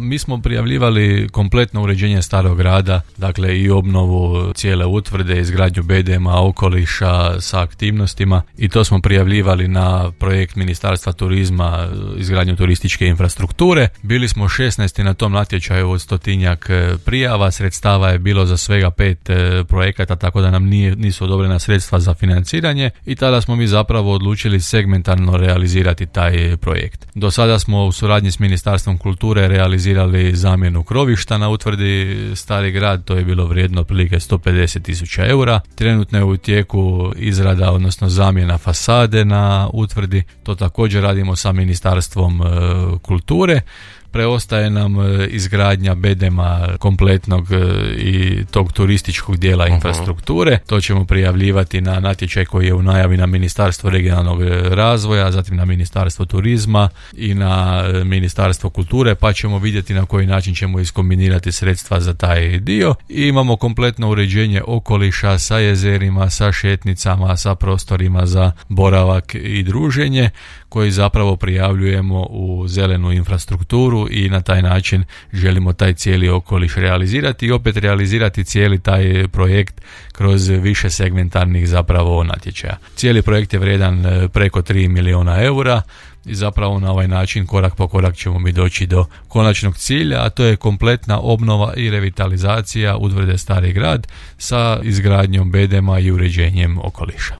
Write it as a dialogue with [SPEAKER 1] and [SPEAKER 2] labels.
[SPEAKER 1] mi smo prijavljivali kompletno uređenje starog grada, dakle i obnovu cijele utvrde, izgradnju BDM-a, okoliša sa aktivnostima, i to smo prijavljivali na projekt Ministarstva turizma, izgradnju turističke infrastrukture. Bili smo 16. na tom natječaju od 100-tinjak prijava, sredstava je bilo za svega 5 projekata, tako da nam nisu odobrena sredstva za financiranje, i tada smo mi zapravo odlučili segmentarno realizirati taj projekt. Do sada smo u suradnji s Ministarstvom kulture realizirali zamjenu krovišta na utvrdi Stari grad, to je bilo vrijedno otprilike 150.000 eura. Trenutno je u tijeku izrada, odnosno zamjena fasade na utvrdi, to također radimo sa Ministarstvom kulture. Preostaje nam izgradnja BDM-a kompletnog i tog turističkog dijela infrastrukture. To ćemo prijavljivati na natječaj koji je u najavi na Ministarstvo regionalnog razvoja, zatim na Ministarstvo turizma i na Ministarstvo kulture, pa ćemo vidjeti na koji način ćemo iskombinirati sredstva za taj dio. I imamo kompletno uređenje okoliša sa jezerima, sa šetnicama, sa prostorima za boravak i druženje, koji zapravo prijavljujemo u zelenu infrastrukturu, i na taj način želimo taj cijeli okoliš realizirati i opet realizirati cijeli taj projekt kroz više segmentarnih zapravo natječaja. Cijeli projekt je vrijedan preko 3 milijuna eura i zapravo na ovaj način korak po korak ćemo mi doći do konačnog cilja, a to je kompletna obnova i revitalizacija utvrde Stari grad sa izgradnjom BDM-a i uređenjem okoliša.